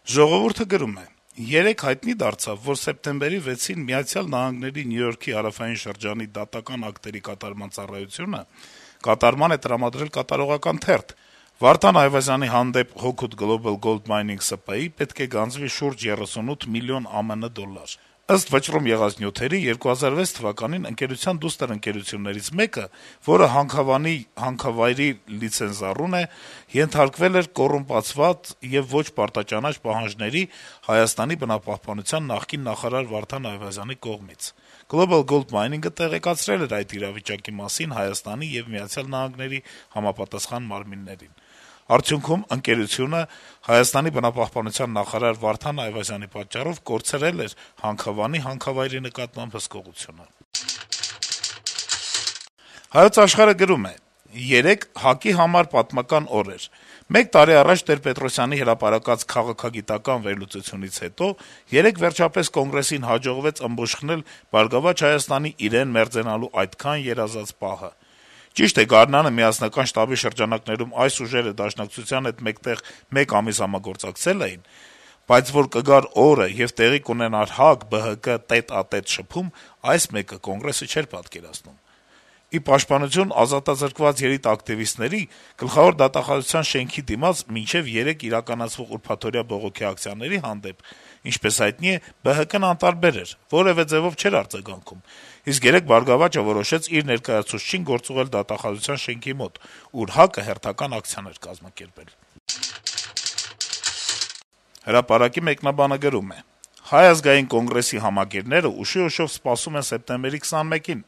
«Ժողովուրդ»-ը գրում է. - «Երեկ հայտնի դարձավ, որ սեպտեմբերի 6-ին Միացյալ Նահանգների Նյու Յորքի հարավային շրջանի դատական ակտերի կատարման ծառայությունը կատարման է տրամադրել կատարողական թերթ. Վարդան Այվազյանի հանդեպ Hawkwood Global Gold Mining ՍՊԸ-ի պետք է գանձվի շուրջ 38 միլիոն ԱՄՆ դոլար: Ըստ վճռում եղած նյութերի, 2006 թվականին ընկերության դուստր ընկերություններից մեկը, որը Հանքավանի հանքավայրի լիցենզիառուն է, ենթարկվել էր կոռումպացված եւ ոչ պարտաճանաչ պահանջների Հայաստանի բնապահպանության նախկին նախարար Վարդան Այվազյանի կողմից: Global Gold Mining-ը տեղեկացրել էր այդ իրավիճակի մասին Հայաստանի եւ Միացյալ Նահանգների համապատասխան մարմիններին: Արդյունքում ընկերությունը Հայաստանի բնապահպանության նախարար Վարդան Այվազյանի պատճառով կորցրել էր Հանքավանի հանքավայրի նկատմամբ հսկողությունը»: «Հայոց Աշխարհ»-ը գրում է. - «Երեկ ՀԱԿ-ի համար պատմական օր էր: Մեկ տարի առաջ Տեր-Պետրոսյանի հրապարակած քաղաքագիտական վերլուծությունից հետո երեկ վերջապես Կոնգրեսին հաջողվեց ըմբոշխնել «Բարգավաճ Հայաստանի» իրեն մերձենալու այդքան երազած պահը: Ճիշտ է, գարնանը Միասնական շտաբի շրջանակներում այս ուժերը Դաշնակցության հետ մեկտեղ մեկ ամիս համագործակցել էին, բայց որ կգար օրը եւ տեղի կունենար ՀԱԿ-ԲՀԿ տետ-ա-տետ շփում, այս մեկը Կոնգրեսը չէր պատկերացնում: Ի պաշտպանություն ազատազրկված երիտակտիվիստների, Գլխավոր դատախազության շենքի դիմաց մինչեւ երեկ իրականացվող ուրբաթօրյա բողոքի ակցիաների հանդեպ, ինչպես հայտնի է, ԲՀԿ-ն անտարբեր էր, որեւէ ձեւով չէր արձագանքում, իսկ երեկ «Բարգավաճը» որոշեց իր ներկայացուցչին գործուղել դատախազության շենքի մոտ, ուր ՀԱԿ-ը հերթական ակցիաներ կազմակերպել»: «Հրապարակ»-ի մեկնաբանը գրում է. - «Հայ ազգային կոնգրեսի համակիրները ուշիուշով սպասում են սեպտեմբերի 21-ին,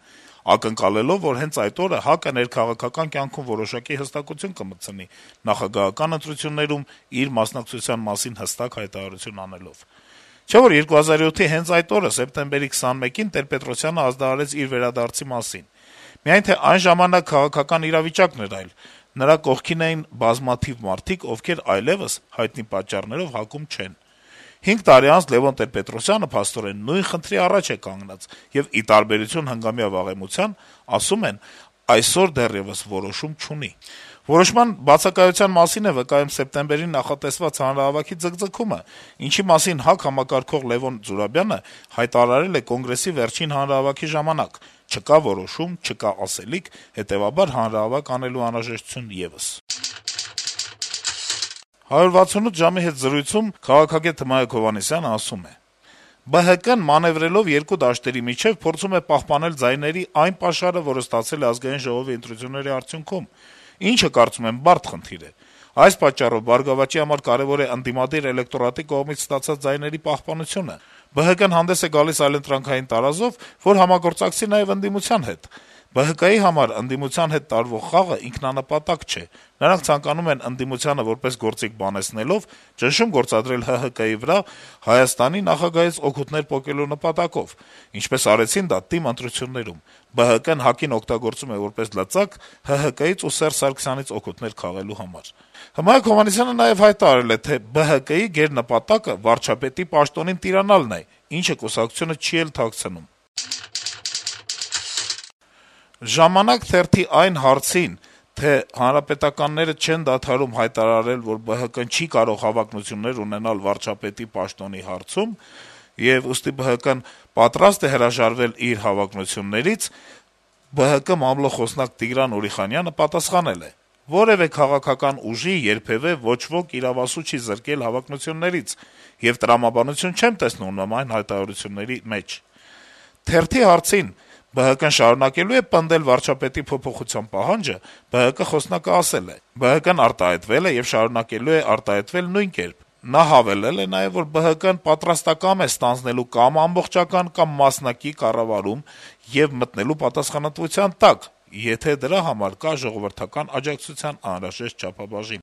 ակնկալելով, որ հենց այդ օրը ՀԱԿ-ը ներքաղաքական կյանքում որոշակի հստակություն կմտցնի` նախագահական ընտրություններում իր մասնակցության մասին հստակ հայտարարություն անելով: Չէ՞ որ 2007-ի հենց այդ օրը` սեպտեմբերի 21-ին, Տեր-Պետրոսյանը ազդարարեց իր վերադարձի մասին: Միայն թե այն ժամանակ քաղաքական իրավիճակն էր այլ, նրա կողքին էին բազմաթիվ մարդիկ, ովքեր այլեւս, հայտնի պատճառներով, ՀԱԿ-ում չեն: 5 տարի անց Լեւոն Տեր-Պետրոսյանը, փաստորեն, նույն խնդրի առաջ է կանգնած եւ, ի տարբերություն հնգամյա վաղեմության, ասում են, այսօր դեռեւս որոշում չունի: Որոշման բացակայության մասին է վկայում սեպտեմբերին նախատեսված հանրահավաքի ձգձգումը, ինչի մասին ՀԱԿ համակարգող Լեւոն Զուրաբյանը հայտարարել է Կոնգրեսի վերջին հանրահավաքի ժամանակ` չկա որոշում, չկա ասելիք, հետեւաբար հանրահավաք անելու անհրաժեշտություն եւս»: «168 ժամ»-ի հետ զրույցում քաղաքագետ Հմայակ Հովհաննիսյանը ասում է. - «ԲՀԿ-ն, մանեւրելով երկու դաշտերի միջեւ, փորձում է պահպանել ձայների այն պաշարը, որը ստացել է Ազգային ժողովի ընտրությունների արդյունքում, ինչը, կարծում եմ, բարդ խնդիր է: Այս պատճառով «Բարգավաճի» համար կարեւոր է ընդդիմադիր էլեկտորատի կողմից ստացած ձայների պահպանությունը: ԲՀԿ-ն հանդես է գալիս այլընտրանքային տարազով, որ համագործակցի նաեւ ընդդիմության հետ: ԲՀԿ-ի համար ընդդիմության հետ տարվող խաղը ինքնանպատակ չէ: Նրանք ցանկանում են ընդդիմությանը որպես գործիք բանեցնելով, ճնշում գործադրել ՀՀԿ-ի վրա, Հայաստանի նախագահից օգուտներ պոկելու նպատակով, ինչպես արեցին դա ՏԻՄ ընտրություններում: ԲՀԿ-ն ՀԱԿ-ին օգտագործում է որպես լծակ ՀՀԿ-ից ու Սերժ Սարգսյանից օգուտներ քաղելու համար»: Հմայակ Հովհաննիսյանը նաեւ հայտարարել է, թե ԲՀԿ-ի գերնպատակը վարչապետի պաշտոնին տիրանալն է, ինչը կուսակցությունը չի էլ թաքցնում: «Ժամանակ» թերթի այն հարցին, թե հանրապետականները չեն դադարում հայտարարել, որ ԲՀԿ-ն չի կարող հավակնություններ ունենալ վարչապետի պաշտոնի հարցում, եւ ուստի ԲՀԿ-ն պատրաստ է հրաժարվել իր հավակնություններից, ԲՀԿ մամլո խոսնակ Տիգրան Ուրիխանյանը պատասխանել է. - «Որեւէ քաղաքական ուժի երբեւէ ոչ ոք իրավասու չի զրկել հավակնություններից, եւ տրամաբանություն չեմ տեսնում նման հայտարարությունների մեջ»: Թերթի հարցին` ԲՀԿ-ն շարունակելո՞ւ է պնդել վարչապետի փոփոխության պահանջը, ԲՀԿ խոսնակը ասել է. - «ԲՀԿ-ն արտահայտվել է եւ շարունակելու է արտահայտվել նույն կերպ»: Նա հավելել է նաեւ, որ ԲՀԿ-ն պատրաստակամ է ստանձնելու կամ ամբողջական, կամ մասնակի կառավարում եւ մտնելու պատասխանատվության տակ, եթե դրա համար կա ժողովրդական աջակցության անհրաժեշտ չափաբաժին»: